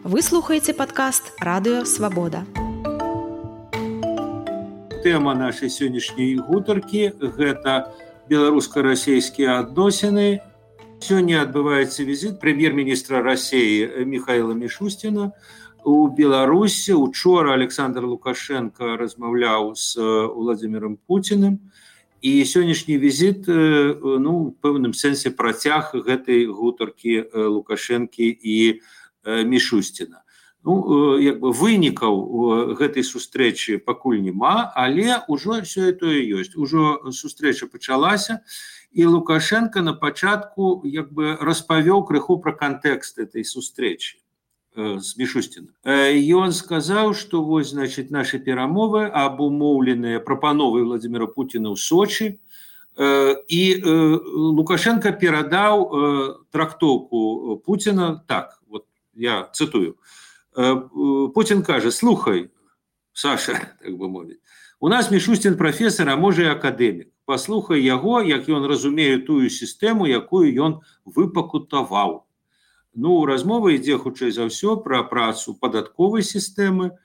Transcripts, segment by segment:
Вы слухаеце падкаст «Радыё Свабода». Тэма нашай сённяшняй гутаркі – гэта беларуска-расейскія адносіны. Сёння адбываецца візіт прэм'ер-міністра Расіі Михаіла Мішусціна у Беларусі. Учора Александр Лукашенко размаўляў з Владимиром Путиным. І сённяшні візіт, у пэўным сэнсе працяг гэтай гутаркі Лукашэнкі і Мішусціна. Вынікаў гэтай сустрэчы пакуль няма, але ўжо сёе-тое ёсць. Ужо сустрэча пачалася, і Лукашенко на пачатку распавёў крыху пра кантэкст этой сустрэчы з Мішусціна. Ён сказаў, што нашы перамовы абумоўленыя прапановай Владимира Путина ў Сочи, і Лукашенко перадаў трактоўку Путина так, я цитую. Путин кажа: слухай, Саша, так бы мовіць, у нас Мішустін прафесор, а можа і акадэмік. Паслухай яго, як ён разумее тую сістэму, якую ён выпакутаваў. Размова ідзе хутчэй за ўсё пра працу падатковай сістэмы,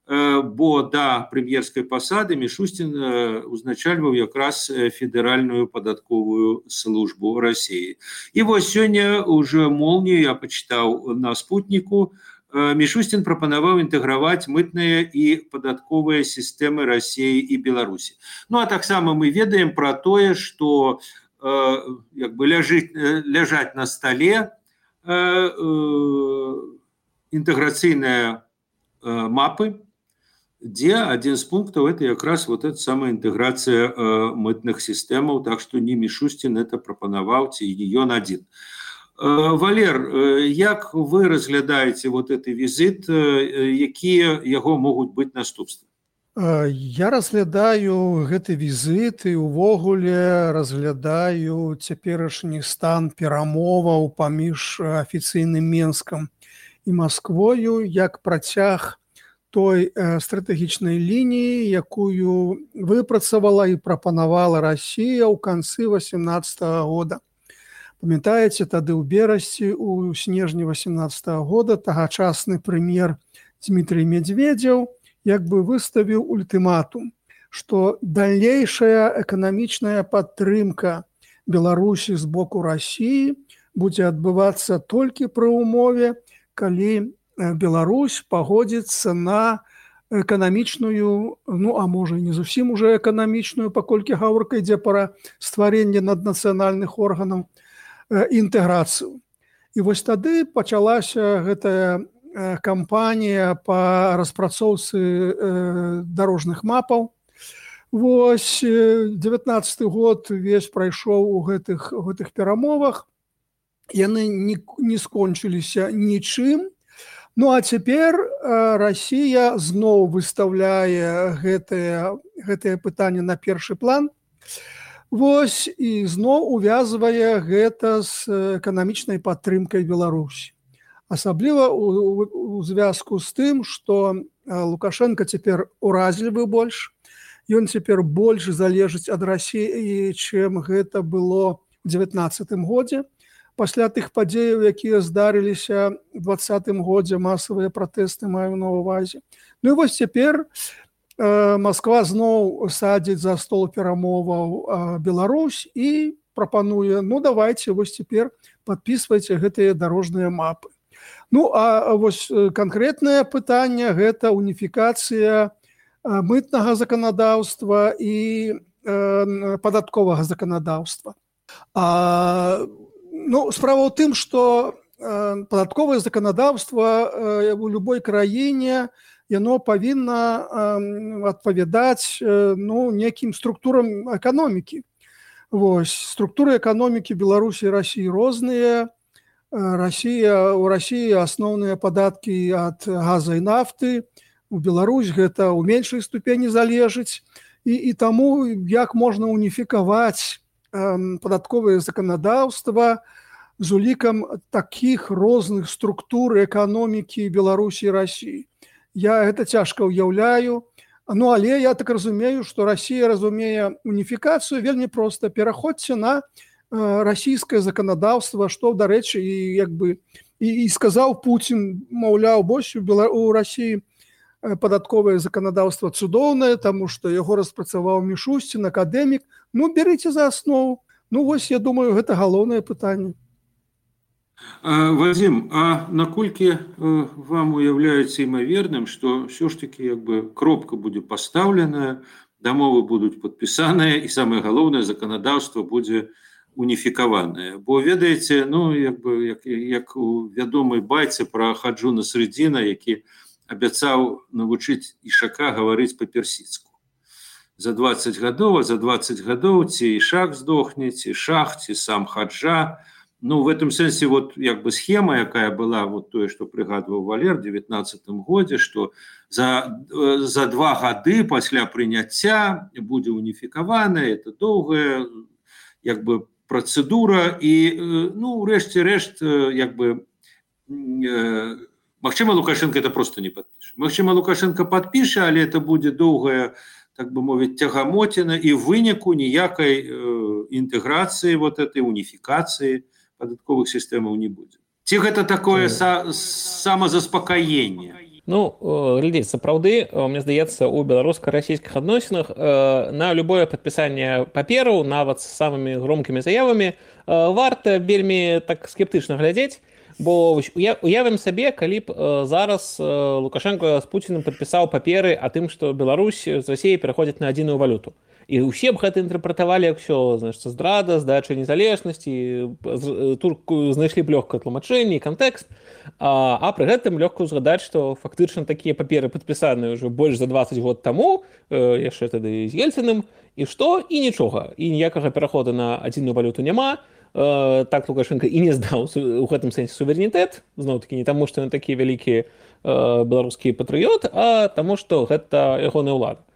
бо да прэм'ерскай пасады Мішустін узначальваў якраз федэральную падатковую службу Расіі. І сёння уже молнію я пачытаў на спутніку. Мішустін прапанаваў інтэграваць мытныя і падатковыя сістэмы Расіі і Беларусі. А таксама мы ведаем пра тое, што ляжаць на стале інтэграцыйныя мапы, дзе адзін з пунктаў это якраз эта самая інтэграцыя мытных сістэмаў, так што не Мішустін это прапанаваў, ці ён адзін. Валер, як вы разглядаеце гэты візіт, якія яго могуць быць наступствы? Я разглядаю гэты візіт і ўвогуле разглядаю цяперашні стан перамоваў паміж афіцыйным Менскам і Масквою як працяг той стратэгічнай лініі, якую выпрацавала і прапанавала Расія ў канцы 2018 года. Памятаеце, тады ў берасці, у снежні 2018 года тагачасны прэм'ер Дмітрый Медведзеў выставіў ультыматум, што далейшая эканамічная падтрымка Беларусі з боку Расіі будзе адбывацца толькі пры ўмове, калі Беларусь пагодзіцца на эканамічную, а можа і не зусім уже эканамічную, паколькі гаворка ідзе пра стварэнне наднацыянальных органаў, інтэграцыю. І тады пачалася гэтая кампанія па распрацоўцы дарожных мапаў. 19 год весь прайшоў у гэтых перамовах. Яны не скончыліся нічым. А цяпер Расія зноў выстаўляе гэтае пытанне на першы план. І зноў увязвае гэта з эканамічнай падтрымкай Беларусі. Асабліва у звязку з тым, што Лукашенко цяпер уразлівы больш. Ён цяпер больш залежыць ад Расіі, чым гэта было ў 2019 годзе. Пасля тых падзеяў, якія здарыліся ў 2020 годзе, масавыя пратэсты маю на ўвазе. Цяпер Масква зноў садзіць за стол перамоваў Беларусь і прапануе: давайце, цяпер падпісвайце гэтыя дарожныя мапы. Канкрэтнае пытанне – гэта уніфікацыя мытнага заканадаўства і падатковага заканадаўства. Справа ў тым, што падатковае заканадаўства у любой краіне яно павінна адпавядаць некім структурам эканомікі. Структуры эканомікі Беларусі і Расіі розныя. У Расіі асноўныя падаткі ад газа і нафты. У Беларусь гэта ў меншай ступені залежыць. І таму як можна уніфікаваць падатковае заканадаўства з улікам такіх розных структур эканомікі Беларусі і Расіі. Я гэта цяжка ўяўляю, але я так разумею, што Расія разумее уніфікацыю вельмі проста. Пераходзьце на расійскае заканадаўства, што, дарэчы, і і сказаў Путін, маўляў, больш у России падатковае заканадаўства цудоўнае, таму што яго распрацаваў Мішустін, акадэмік. Ну, берыце за аснову. Ну, вось, я думаю, гэта галоўнае пытанне. Вадзім, а наколькі вам уяўляецца імаверным, што ўсё ж такі кропка будзе пастаўленая, дамовы будуць падпісаныя і самае галоўнае заканадаўства будзе уніфікаванае. Бо ведаеце, як у вядомай байцы пра Хаджу Насреддіна, які абяцаў навучыць Ішака гаварыць па-персідску. За 20 гадоў, а за 20 гадоў ці Ішак здохне, ці Шах, ці сам Хаджа. Ну, в этом сэнсе схема, якая была, тое, што прыгадваў Валер в 19-м годзе, што за 2 гады пасля прыняцця будзе уніфікавана, это доўгая працэдура і, ну, рэшце рэшт, магчыма, Лукашенко это просто не падпіша. Магчыма, Лукашенко падпіша, але это будзе доўгая, так бы мовіць, тягамотіна і выніку ніякай інтэграцыі, этой уніфікацыі падатковых сістэмаў не будзе. Ці гэта такое самазаспакаенне? Ну, глядзіць, сапраўды, мне здаецца, у беларуска-расійскіх адносінах на любое падпісанне папераў, нават з самымі громкімі заявамі, варта вельмі так скептычна глядзець, бо уявім сабе, калі б зараз Лукашенко з Пуціным падпісаў паперы о тым, што Беларусь з Расіяй пераходзіць на адзіную валюту. І ўсе б гэта інтэрпрэтавалі як ўсё, здрада, здача незалежнасці, тут знайшлі б лёгкае тлумачэнне і кантэкст, а пры гэтым лёгка згадаць, што фактычна такія паперы падпісаныя ўжо больш за 20 год таму, яшчэ тады з Ельцыным, і што? І нічога. І ніякага пераходу на адзіную валюту няма. Так Лукашенко і не здаў у гэтым сэнсе суверэнітэт, зноў-такі не таму, што ён такі вялікі беларускі патрыёт, а таму, што гэта ягоная ўлада.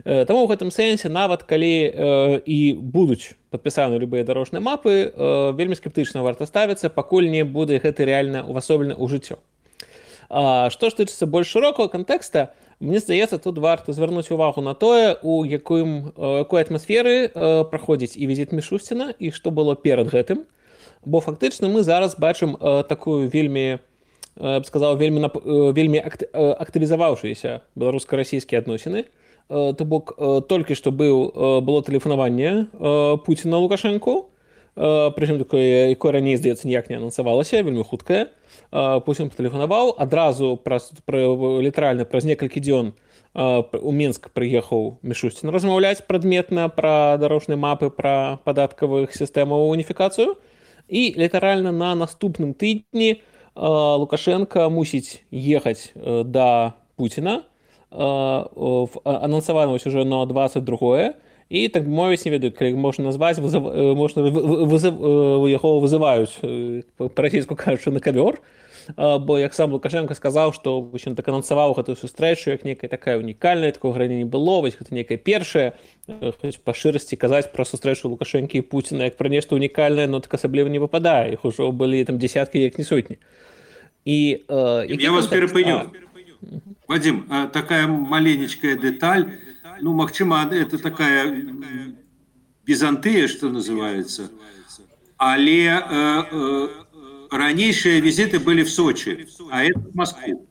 Таму ў гэтым сэнсе, нават калі і будуць падпісаны любыя дарожныя мапы, вельмі скептычна варта ставіцца, пакуль не будзе гэта рэальна ўвасоблена ў жыццё. Што ж тычыцца больш шырокага кантэкста, мне здаецца, тут варта звярнуць увагу на тое, у якой атмасферы праходзіць і візіт Мішусціна, і што было перад гэтым. Бо фактычна мы зараз бачым такую вельмі, я б сказаў, вельмі актывізаваўшыся беларуска-расійскія адносіны. То бок, толькі што было тэлефанаванне Пуціна Лукашэнку, прычым якое раней, здаецца, ніяк не анансавалася, вельмі хуткае. Пуцін патэлефанаваў, адразу літаральна праз некалькі дзён у Мінск прыехаў Мішусцін размаўляць прадметна пра дарожныя мапы, пра падаткавых сістэмаў уніфікацыю. І літаральна на наступным тыдні Лукашенко мусіць ехаць да Пуціна, анансавана ўжо на 22-е, і, так бы мовіць, не ведаю, калі можна назваць, яго вызываюць, па-расійску кажучы, на кавёр, бо, як сам Лукашенко сказаў, што ён так анансаваў гэтую сустрэчу, як некая такая унікальная, такого грані не было, вось гэта некая першая, па шырасці казаць пра сустрэчу Лукашэнкі і Пуціна, як пра нешта унікальнае, но так асабліва не выпадае, іх ужо былі там дзесяткі, як не сотні. Я вас перапыню. Вадим, такая маленечкая деталь, ну, магчыма, это такая Византыя, что называется, але ранейшие визиты были в Сочи, а это в Москву.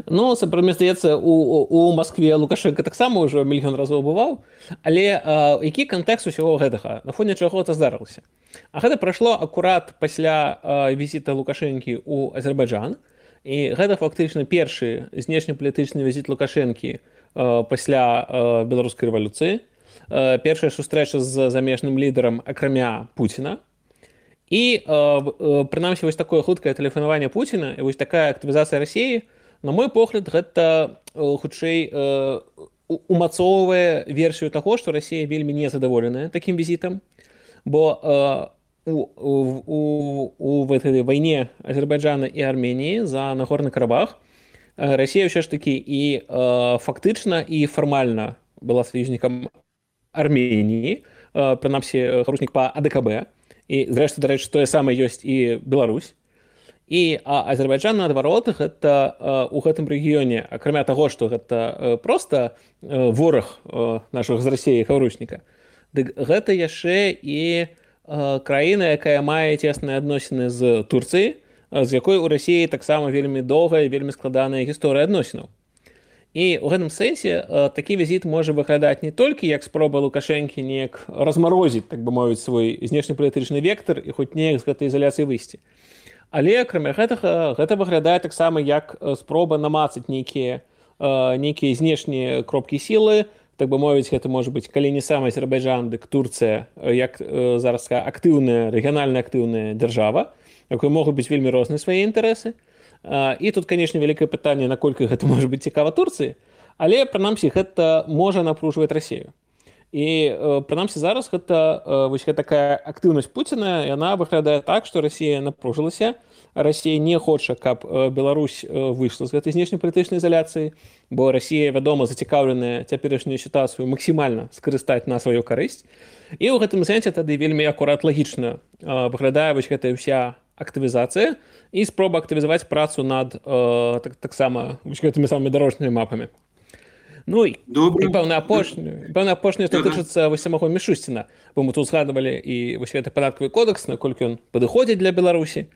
Ну, мне здаецца, у Москве Лукашенко таксама ўжо мільён разоў бываў, але які кантэкст усяго гэтага, на фоне чаго это здарылася? А гэта прайшло акурат пасля візіта Лукашэнкі ў Азербайджан, і гэта фактычна першы знешнепалітычны візіт Лукашэнкі пасля беларускай рэвалюцыі, першая сустрэча з замежным лідарам акрамя Пуціна. І прынамсі вось такое хуткае тэлефанаванне Пуціна і вось такая актывізацыя Расіі, на мой погляд, гэта хутчэй умацоўвае версію таго, што Расія вельмі незадаволеная такім візітам, бо у этой вайне Азербайджана і Арменіі за Нагорны Карабах Расія ўсё ж такі і фактычна і фармальна была саюзнікам Арменіі, прынамсі харушнік па АДКБ, і зрэшты, дарэчы, тое самае ёсць і Беларусь. І Азербайджан, наадварот, гэта у гэтым рэгіёне, акрамя таго, што гэта проста вораг нашых з Расіі харушніка, дык гэта яшчэ і краіна, якая мае цесныя адносіны з Турцыяй, з якой у Расіі таксама вельмі доўгая, вельмі складаная гісторыя адносінаў. І ў гэтым сэнсе такі візіт можа выглядаць не толькі як спроба Лукашэнкі неяк размарозіць, так бы мовіць, свой знешнепалітычны вектар і хоць неяк з гэтай ізаляцыі выйсці. Але акрамя гэтага гэта выглядае таксама як спроба намацаць нейкія знешнія кропкі сілы, так бы мовіць, гэта можа быць, калі не сам Азербайджан, дык Турцыя, як зараз актыўная, рэгіянальна актыўная дзяржава, якой могуць быць вельмі розныя свае інтарэсы. І тут, канешне, вялікае пытанне, наколькі гэта можа быць цікава Турцыі, але, прынамсі, гэта можа напружваць Расію. І, прынамсі, зараз гэта такая актыўнасць Пуціна, яна выглядае так, што Расія напружылася, Расія не хоча, каб Беларусь выйшла з гэтай знешнепалітычнай ізаляцыі, бо Расія, вядома, зацікаўленая цяперашнюю сітуацыю максімальна скарыстаць на сваю карысць. І ў гэтым сэнсе тады вельмі акурат лагічна выглядае гэтая ўся актывізацыя і спроба актывізаваць працу над таксама гэтымі самымі дарожнымі мапамі. Ну і пэўна апошняе, што тычыцца самого Мішусціна, бо мы тут згадвалі і гэты падаткавы кодекс, наколькі ён падыходзіць для Беларусі.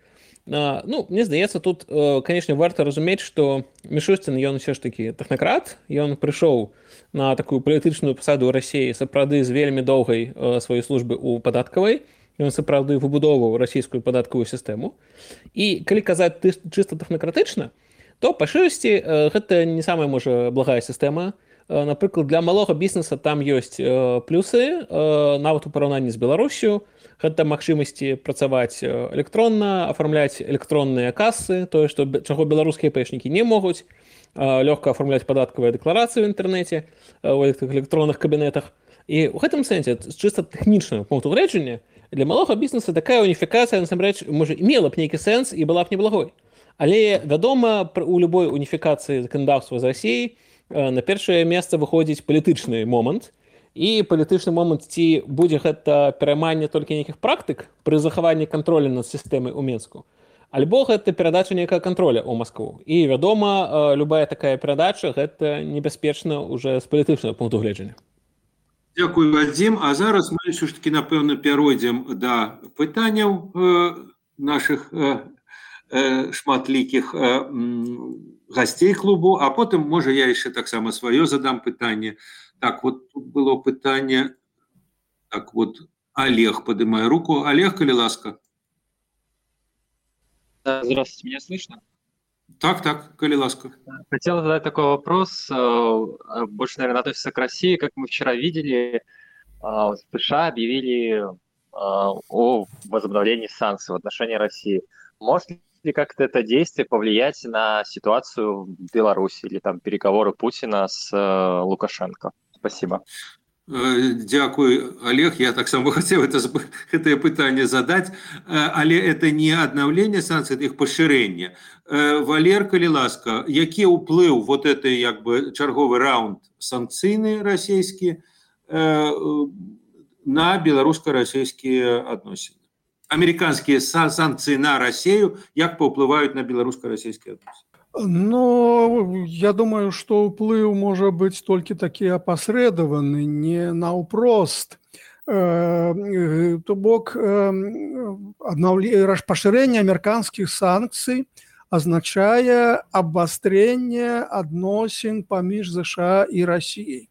Ну, мне здаецца, тут, канешне, варта разумець, што Мішусцін, ён ўсё ж такі тэхнакрат, ён прыйшоў на такую палітычную пасаду ў Расіі сапраўды з вельмі доўгай сваёй службы ў падаткавай, ён сапраўды выбудоўваў расійскую падаткавую сістэму. І калі казаць чыста тэхнакратычна, то па шырасці гэта не самая, можа, благая сістэма. Напрыклад, для малога бізнеса там ёсць плюсы, нават у параўнанні з Беларусю. Гэта магчымасці працаваць электронна, афармляць электронныя касы, тое, чаго беларускія пэшнікі не могуць, лёгка афармляць падаткавыя дэкларацыі ў інтэрнэце, у электронных кабінетах. І ў гэтым сэнсе, з чыста тэхнічнага пункту гледжання, для малога бізнеса такая уніфікацыя, насамрэч, можа, мела б нейкі сэнс і была б неблагой. Але, вядома, у любой уніфікацыі заканадаўства з Расіяй на першае месца выходзіць палітычны момант. І палітычны момант, ці будзе гэта перайманне толькі нейкіх практык пры захаванні кантролю над сістэмай у Мінску, альбо гэта перадача нейкага кантроля ў Маскву. І, вядома, любая такая перадача гэта небяспечна ўжо з палітычнага пункту гледжання. Дзякуй, Вадзім. А зараз мы ўсё ж такі, напэўна, перайдзем да пытанняў нашых шматлікіх гасцей клубу, а потым, можа, я яшчэ таксама сваё задам пытанне. Так, вот тут было пытанне. Так, вот Олег поднимает руку. Олег, коли ласка. Здравствуйте, меня слышно? Так, коли ласка. Хотел задать такой вопрос, больше, наверное, относится к России. Как мы вчера видели, США объявили о возобновлении санкций в отношении России. Может ли как-то это действие повлиять на ситуацию в Беларуси или там переговоры Путина с Лукашенко? Спасибо. Дякую, Олег. Я так само хотел это пытание задать, але это не обновление санкций, это их поширение. Валер, коли ласка, який уплыв вот этой, як бы, черговый раунд санкцийный российский на белорусско-российские отношения? Американские санкции на Россию, як паўплываюць на белорусско-российские отношения? Ну, я думаю, что уплыв может быть только таки опосредованный, не наўпрост. То бок поширение американских санкций означает обострение адносін паміж США и Россией.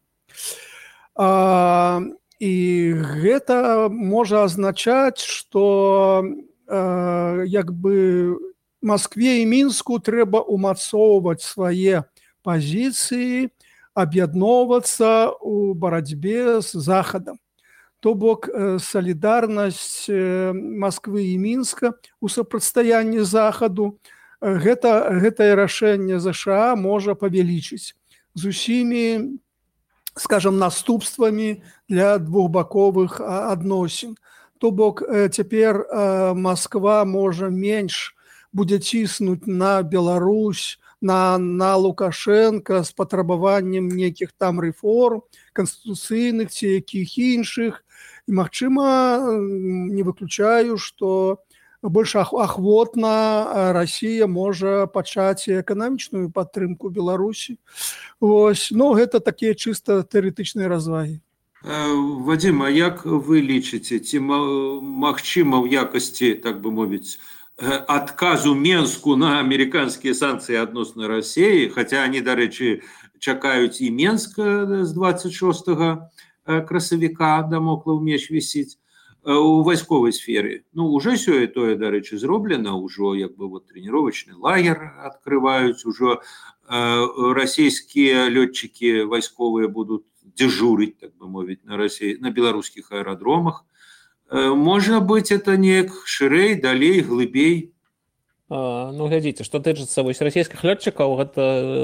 И это может означать, что як бы Москве и Минску трэба умацоўваць свае пазіцыі, аб'ядноўвацца ў барацьбе з Захадам. То бок салідарнасць Москвы і Мінска ў супрацьстаянні Захаду, гэтае рашэнне США можа павялічыць з усімі, скажем, наступствамі для двухбаковых адносін. То бок цяпер Москва можа менш будзе ціснуць на Беларусь, на Лукашенко з патрабаваннем нейкіх там рэформ, канстытуцыйных ці якіх іншых. І, магчыма, не выключаю, што больш ахвотна Расія можа пачаць эканамічную падтрымку Беларусі. Вось. Ну, гэта такія чыста тэарэтычныя развагі. Вадзім, а як вы лічыце, ці магчыма ў якасці, так бы мовіць, адказу Менску на амерыканскія санкцыі адносна Расіі, хаця они, дарэчы, чакаюць і Менск з 26 красавіка, дамоклаў меч вісіць у вайсковай сферы. Ну, уже сёе-тое, дарэчы, зроблена, ужо як бы вот тренировочный лагер открываюць, ужо расійскія лётчыкі вайсковыя будуць дежурить, так бы мовіць, на беларускіх аэрадромах. Можа быць, это неяк шырэй, далей, глыбей. Ну, глядзіце, што тычыцца вось расійскіх лётчыкаў, гэта,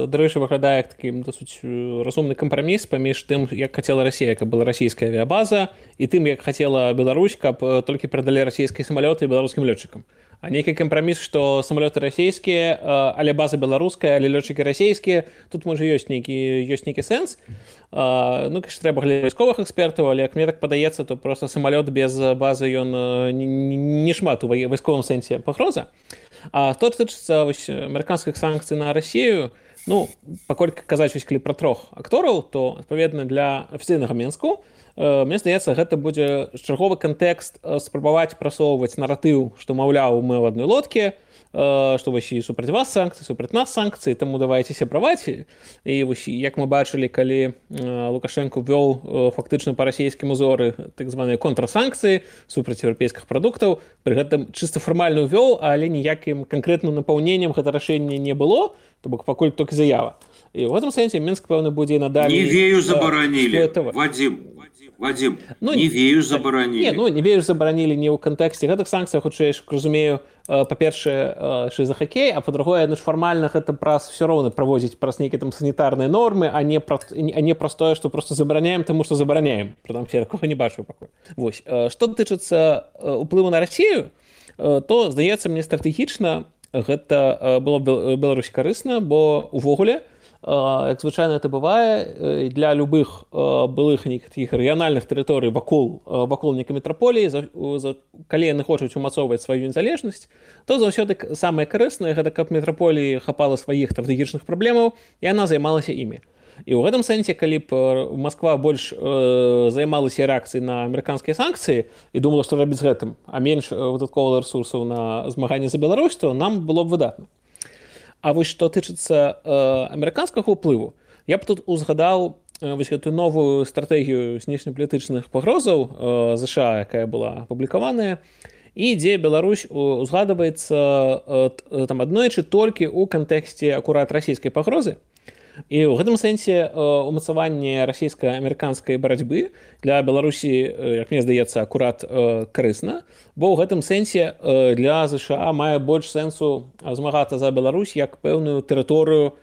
дарэчы, выглядае як такі досыць разумны кампраміс паміж тым, як хацела Расія, каб была расійская авіябаза, і тым, як хацела Беларусь, каб толькі перадалі расійскія самалёты беларускім лётчыкам. А нейкі кампраміс, што самалёты расійскія, але база беларуская, але лётчыкі расійскія, тут можа ёсць нейкі сэнс. Ну, конечно, трэба глядзець вайсковых экспертаў, але як мне так падаецца, то просто самалёт без базы ён не шмат у вайсковым сэнсе пагроза. А што тычыцца амерыканскіх санкцый на Расію, ну, паколькі казаць вось калі пра 3 актораў, то адпаведна для афіцыйнага Менску, мне здаецца, гэта будзе чарговы кантэкст спрабаваць прасоўваць наратыў, што, маўляў, мы ў адной лодкі, што вось і супраць вас санкцыі, супраць нас санкцыі, таму давайце сябраваць. І вось, як мы бачылі, калі Лукашенко ввёў фактычна па расійскім узоры так званыя контрсанкцыі супраць еўрапейскіх прадуктаў, пры гэтым чыста фармальна ўвёў, але ніякім канкрэтным напаўненнем гэта рашэнне не было, то бок пакуль толькі заява. І ў гэтым сэнсе Мінск, пэўна, будзе надалей... Нівею забаранілі, Вадзім, Нівею забаранілі. Нівею забаранілі не ў кантэксце гэтых санкцый, хутчэй, разумею, па-першае, за хакей, а па-другое, фармальна гэта праз все роўна праводзіць праз нейкія там санітарныя нормы, а не праз тое, што просто забараняем, таму што забараняем. Прытым я такога не бачу пакуль. Вось, што тычыцца ўплыву на Расію, то, здаецца, мне стратэгічна гэта было Беларусі карысна, бо увогуле, як звычайна это бывае, для любых былых нейкіх рэгіянальных тэрыторый вакол нейкай метраполіі, калі яны хочуць умацоўваць сваю незалежнасць, то заўсёды самае карыснае гэта каб метраполіі хапала сваіх стратэгічных праблемаў і яна займалася імі. І ў гэтым сэнсе, калі б Масква больш займалася рэакцыяй на амерыканскія санкцыі і думала, што рабіць з гэтым, а менш дадатковых рэсурсаў на змаганне за Беларусь, то нам было б выдатна. А вось што тычыцца амерыканскага ўплыву, я б тут узгадаў вось гэтую новую стратэгію знешнепалітычных пагрозаў ЗША, якая была апублікаваная, і дзе Беларусь узгадваецца там аднойчы толькі ў кантэксце акурат расійскай пагрозы. І ў гэтым сэнсе умацаванне расійска-амерыканскай барацьбы для Беларусі, як мне здаецца, акурат карысна, бо ў гэтым сэнсе для ЗША мае больш сэнсу змагацца за Беларусь як пэўную тэрыторыю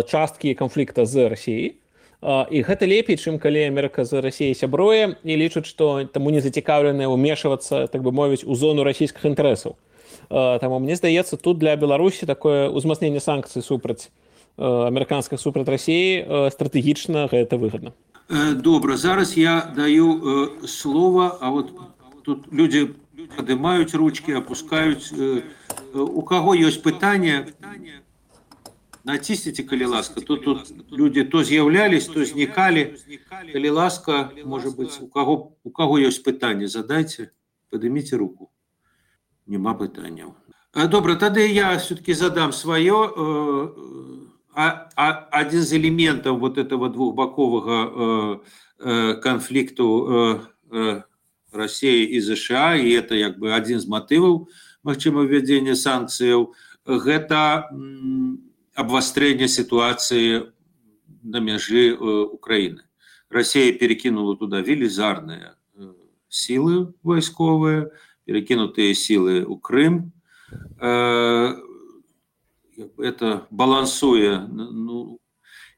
часткі канфлікта з Расіяй. І гэта лепей, чым калі Амерыка з Расіяй сябруе і лічаць, што таму не зацікаўленыя ўмешвацца, так бы мовіць, у зону расійскіх інтарэсаў. Таму мне здаецца, тут для Беларусі такое ўзмацненне санкцый супраць амерыканскіх супраць Расіі стратэгічна гэта выгадна. Добра, зараз я даю слова, а вот тут люди падымаюць ручки, опускаюць. У каго ёсць пытанне, націсніце, калі ласка. Тут люди то з'яўлялись, то знікалі. Калі ласка, можа быць, у каго ёсць пытанне, задайце, падыміце руку. Нема пытанняў. Добра, тады я все-таки задам свое. Один из элементов вот этого двухбокового конфликту России и США, и это как бы один из мотивов, магчыма, введения санкций, это обострение ситуации на меже Украины. Россия перекинула туда велизарные силы войсковые, перекинутые силы у Крым. Это балансуя, ну,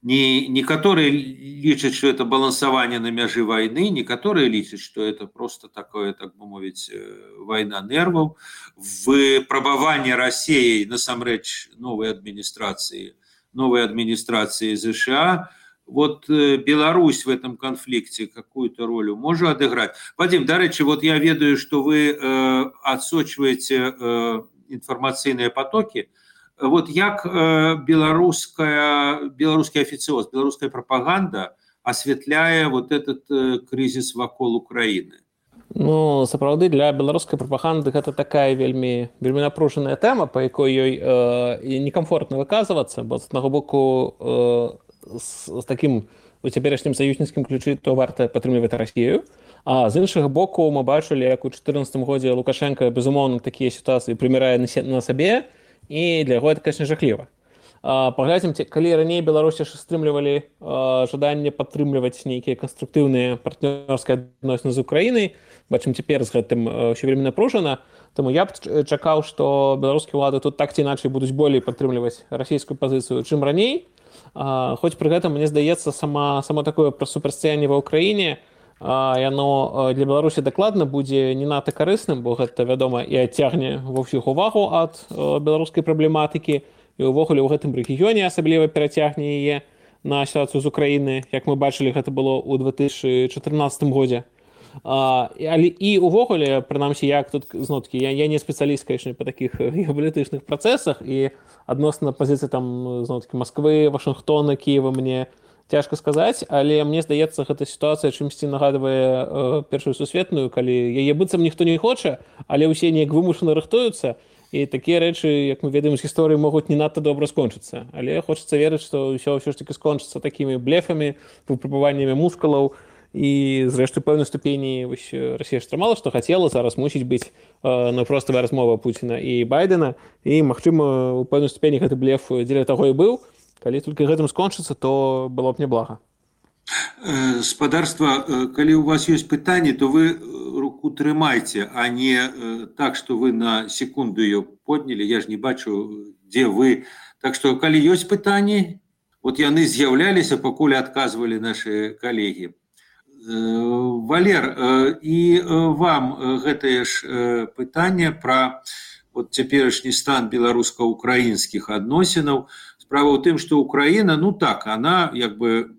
некоторые лічаць, что это балансование на мяжы войны, некоторые лічаць, что это просто такое, так бы мовіць, война нервов, выпрабаванне Россией насамрэч новой администрации США. Вот Беларусь в этом конфликте какую-то роль может отыграть. Вадим, дарэчы, вот я ведаю, что вы отсочиваете информационные потоки. Вот як белорусский официоз, белорусская пропаганда осветляя вот этот кризис вокруг Украины? Ну, сапраўды для беларускай прапаганды гэта такая вельмі напружаная тэма, па якой ёй некамфортна выказвацца, бо з аднаго боку з такім у цяперашнім саюзніцкім ключы то варта падтрымліваць Расію, а з іншага боку мы бачылі, як у 2014 годзе Лукашенко безумоўна такія сітуацыі прымірае на сабе, і для яго гэта, конечно, жахліва. Паглядзім, калі раней Беларусі стрымлівалі жаданне падтрымліваць нейкія канструктыўныя партнёрскія адносіны з Украінай, бачым, цяпер з гэтым ўсё вельмі напружана, таму я б чакаў, што беларускія ўлады тут так ці іначай будуць болей падтрымліваць расійскую пазіцыю, чым раней. Хоць пры гэтым, мне здаецца, само такое супрацьстаянне ва ўкраіне, яно для Беларусі дакладна будзе не надта карысным, бо гэта, вядома, і адцягне ва ўсіх увагу ад беларускай праблематыкі, і ўвогуле ў гэтым рэгіёне асабліва перацягне яе на сітуацыю з Украіны, як мы бачылі, гэта было ў 2014 годзе. Але і ўвогуле, прынамсі, як тут зноў-такі, я не спецыяліст, конечно, па такіх геапалітычных працэсах, і адносна пазіцыі там зноў-такі Масквы, Вашынгтона, Кіева мне цяжка сказаць, але мне здаецца, гэта сітуацыя чымсьці нагадвае Першую сусветную, калі яе быццам ніхто не хоча, але ўсе неяк вымушана рыхтуюцца. І такія рэчы, як мы ведаем з гісторыі, могуць не надта добра скончыцца. Але хочацца верыць, што ўсё ж такі скончыцца такімі блефамі, выпрабаваннямі мускулаў, і зрэшты пэўнай ступені Расія ж трымала, што хацела, зараз мусіць быць наўпроставая размова Пуціна і Байдена, і, магчыма, у пэўнай ступені гэты блеф дзеля таго і быў. Калі толькі гэтым скончыцца, то было б няблага. Спадарства, калі у вас ёсць пытанні, то вы руку трымайце, а не так, што вы на секунду ее поднялі. Я ж не бачу, дзе вы. Так што, калі ёсць пытанні, вот яны з'яўляліся, пакуль адказвалі нашы калегі. Валер, і вам гэтае ж пытанне пра вот цяперашні стан беларуска-украінскіх адносінаў. Справа ў тым, што Украіна, ну так, она як бы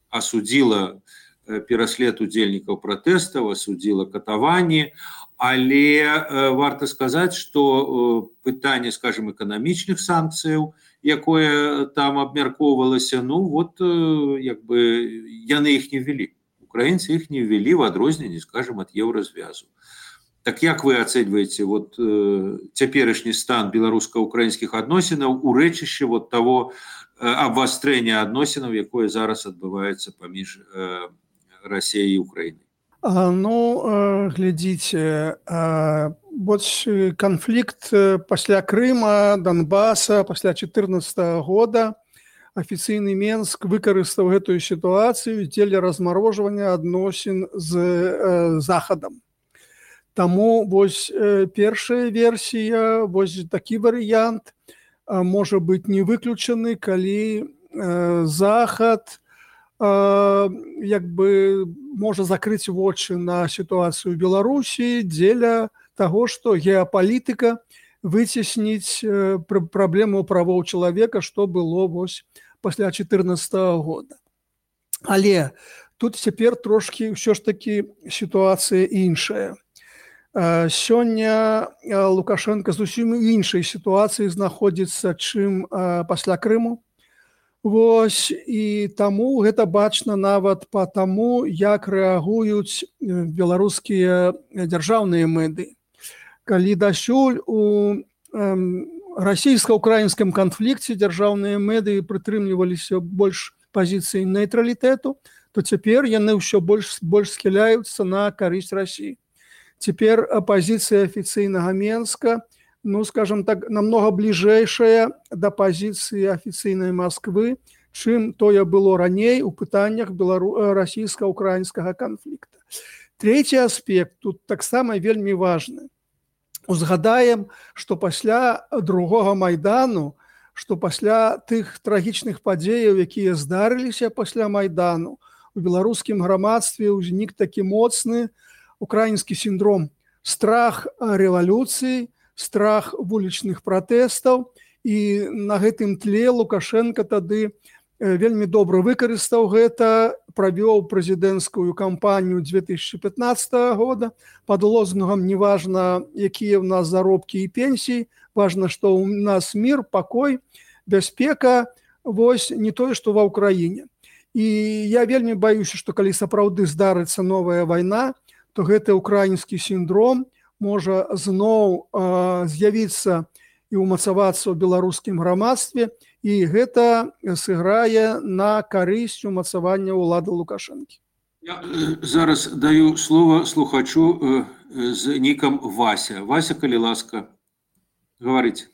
осудила пераслед удзельнікаў пратэстаў, осудила катаванні, але варта сказаць, што пытанне, скажем, эканамічных санкцыяў, якое там абмяркоўвалася, ну вот як бы яны іх не ввели. Украінцы іх не ввели в адрозненне, скажем, ад еўразвязу. Так як вы ацэньваеце вот цяперашні стан беларуска-украінскіх адносінаў у рэчышчы вот того абвастрэння адносінаў, якое зараз адбываецца паміж Расіяй і Украінай? Ну, глядзіце, канфлікт пасля Крыма, Донбаса, пасля 2014 года афіцыйны Менск выкарыстаў гэтую сітуацыю дзеля размарожвання адносін з Захадам. Таму вось першая версія, вось такі варыянт можа быць не выключаны, калі Захад як бы можа закрыць вочы на сітуацыю ў Беларусі дзеля таго, што геапалітыка выцесніць праблему правоў чалавека, што было вось пасля 2014 года. Але тут цяпер трошкі ўсё ж такі сітуацыя іншая. Сёння Лукашенко зусім іншай сітуацыі знаходзіцца, чым пасля Крыму. Вось, і таму гэта бачна нават па таму, як рэагуюць беларускія дзяржаўныя медыі. Калі дасюль у расійска-украінскім канфлікце дзяржаўныя медыі прытрымліваліся больш пазіцыі нейтралітэту, то цяпер яны ўсё больш схіляюцца на карысць Расіі. Цяпер пазіцыя афіцыйнага Менска, ну, скажем так, намного бліжэйшая да пазіцыі афіцыйнай Масквы, чым тое было раней у пытаннях расійска-украінскага канфлікта. Трэці аспект тут таксама вельмі важны. Узгадаем, што пасля другога Майдану, што пасля тых трагічных падзеяў, якія здарыліся пасля Майдану, у беларускім грамадстве ўзнік такі моцны украінскі сіндром, страх рэвалюцыі, страх вулічных пратэстаў, і на гэтым тле Лукашенко тады вельмі добра выкарыстаў гэта, правёў прэзідэнцкую кампанію 2015 года пад лозунгам «Неважна, якія ў нас заробкі і пенсіі, важна, што ў нас мір, пакой, бяспека, вось не тое, што ва ўкраіне». І я вельмі баюся, што калі сапраўды здарыцца новая вайна, то гэты украінскі сіндром можа зноў з'явіцца і ўмацавацца ў беларускім грамадстве, і гэта сыграе на карысць умацавання ўлады Лукашэнкі. Я зараз даю слово слухачу з нікам Вася. Вася, калі ласка, говорите.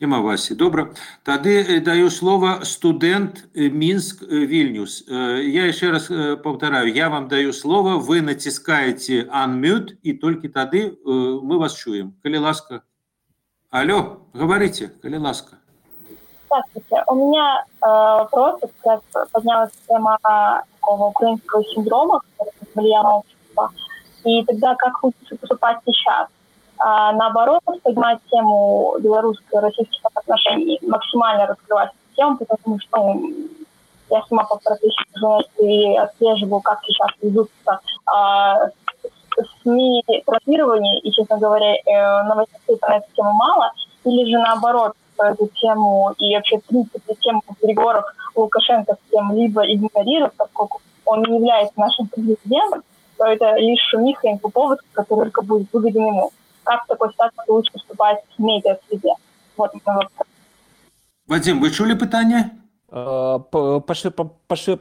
Нема Васі. Добра. Тады даю слово студент Минск Вильнюс. Я еще раз повторяю, я вам даю слово, вы натискаете unmute, и только тады мы вас чуем. Калі ласка. Алло, говорите, калі ласка. Здравствуйте. У меня вопрос, как поднялась тема такого украинского синдрома, влияние общества, и тогда как лучше поступать сейчас? Наоборот, поднимать тему белорусско-российских отношений, максимально раскрывать эту тему, потому что я сама по профессии журналиста и отслеживаю, как сейчас ведутся СМИ транслирование, и, честно говоря, новостей про эту тему мало, или же наоборот, эту тему и вообще, в принципе, тему переговоров Лукашенко с кем-либо игнорирует, поскольку он не является нашим президентом, то это лишь шумиха, инфоповод, который только будет выгоден ему. Как в такой ситуации лучше поступать в медиа-среде? Вот мой вопрос. Вадим, вы чули питання? Па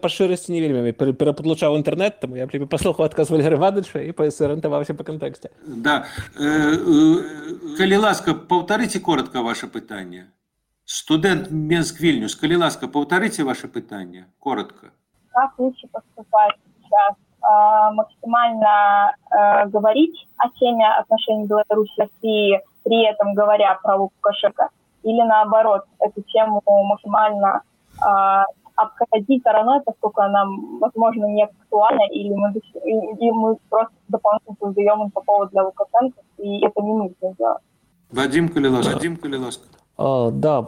шырасці не вельмі перападлучаў інтэрнэт, таму я паслухаў адказ Валерыя Івановича і сарыентаваўся па кантэксце. Да. Калі ласка, повторите коротко ваше питання. Студент Минск Вильнюс, калі ласка, повторите ваше питання коротко. Как лучше поступать сейчас? Максимально говорить о теме отношений Беларуси и России, при этом говоря про Лукашенко, или наоборот, эту тему максимально обходить стороной, поскольку она, возможно, не актуальна, или мы просто дополнительно создаем инфоповод для Лукашенко, и это не нужно делать. Вадим, калі ласка. Да,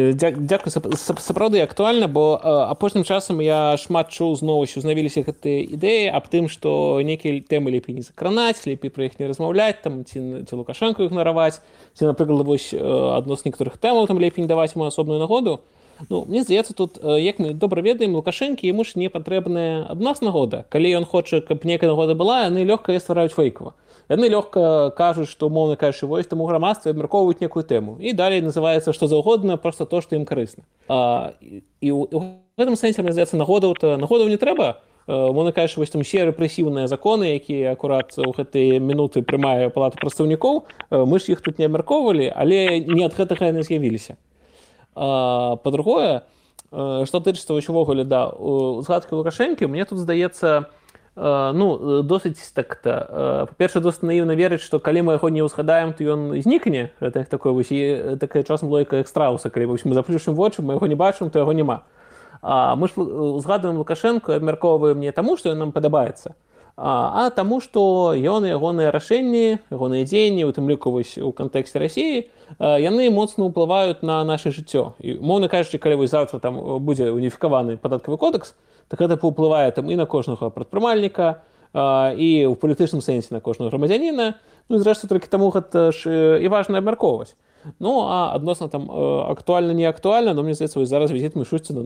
дзякую, сапраўды актуальна, бо апошнім часам я шмат чуў зноў узнавіліся гэтыя ідэі аб тым, што нейкія тэмы лепей не закранаць, лепей пра іх не размаўляць, там, ці Лукашэнку ігнараваць, ці, напрыклад, вось адносна некаторых тэмаў там лепей не даваць ему асобную нагоду. Ну, мне здаецца, тут, як мы добра ведаем, Лукашэнкі яму ж не патрэбная ад нас нагода. Калі ён хоча, каб нейкая нагода была, яны лёгка яе ствараюць фэйкава. Яны лёгка кажуць, што, умоўна кажучы, вось таму грамадстве абмяркоўваюць некую тэму. І далей называецца што заўгодна, проста то, што ім карысна. І ў гэтым сэнсе, мне здаецца, нагодаў не трэба. Умоўна кажучы, вось там усе рэпрэсіўныя законы, якія акурат у гэтыя минуты прымае Палата прадстаўнікоў, мы ж іх тут не абмяркоўвалі, але не ад гэтага яны з'явіліся. Па-другое, што тычыцца ўвогуле, да, згадкі Лукашэнкі, мне тут здаецца, досыць так-то. Па-першае, досыць наіўна верыць, што калі мы яго не ўзгадаем, то ён знікне. Гэта такая часам логіка як страуса, калі мы заплюшым вочы, мы яго не бачым, то яго няма. Мы ж узгадваем Лукашэнку і абмяркоўваем не таму, што ён нам падабаецца, а таму, што ён і ягоныя рашэнні, ягоныя дзеянні, у тым ліку вось у кантэксце Расіі, яны моцна ўплываюць на наша жыццё. І, умоўна кажучы, калі вось завтра там будзе уніфікаваны падаткавы кодекс, так гэта паўплывае там і на кожнага прадпрымальніка, і ў палітычным сэнсе на кожнага грамадзяніна, і зрэшты толькі таму гэта ж і важна абмяркоўваць. А адносна там актуальна, не актуальна, мне здаецца, вось зараз візіт Мішусціна,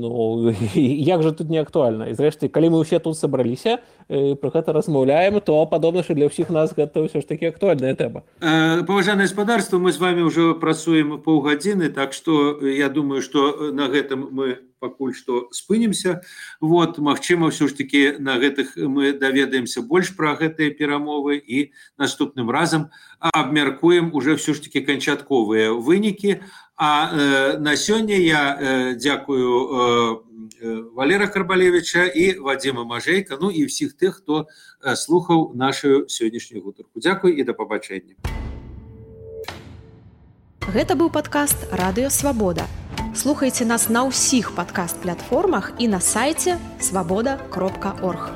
як жа тут не актуальна? І зрэшты, калі мы ўсе тут сабраліся, пра гэта размаўляем, то падобна, што для ўсіх нас гэта ўсё ж такі актуальная тэма. Паважанае гаспадарства, мы з вами ўжо працуем паўгадзіны, так што я думаю, што на гэтым мы пакуль што спынімся. Вот, магчыма, ўсё ж такі на гэтых мы даведаемся больш пра гэтыя перамовы і наступным разам абмяркуем уже ўсё ж такі канчатковыя вынікі. А на сёння я дзякую Валера Карбалевича і Вадзіма Мажэйка, і ўсіх тых, хто слухаў нашу сённяшнюю гутарку. Дзякуй і да пабачэння. Гэта быў падкаст «Радыё Свабода». Слухайце нас на ўсіх падкаст-платформах і на сайце свабода.орг.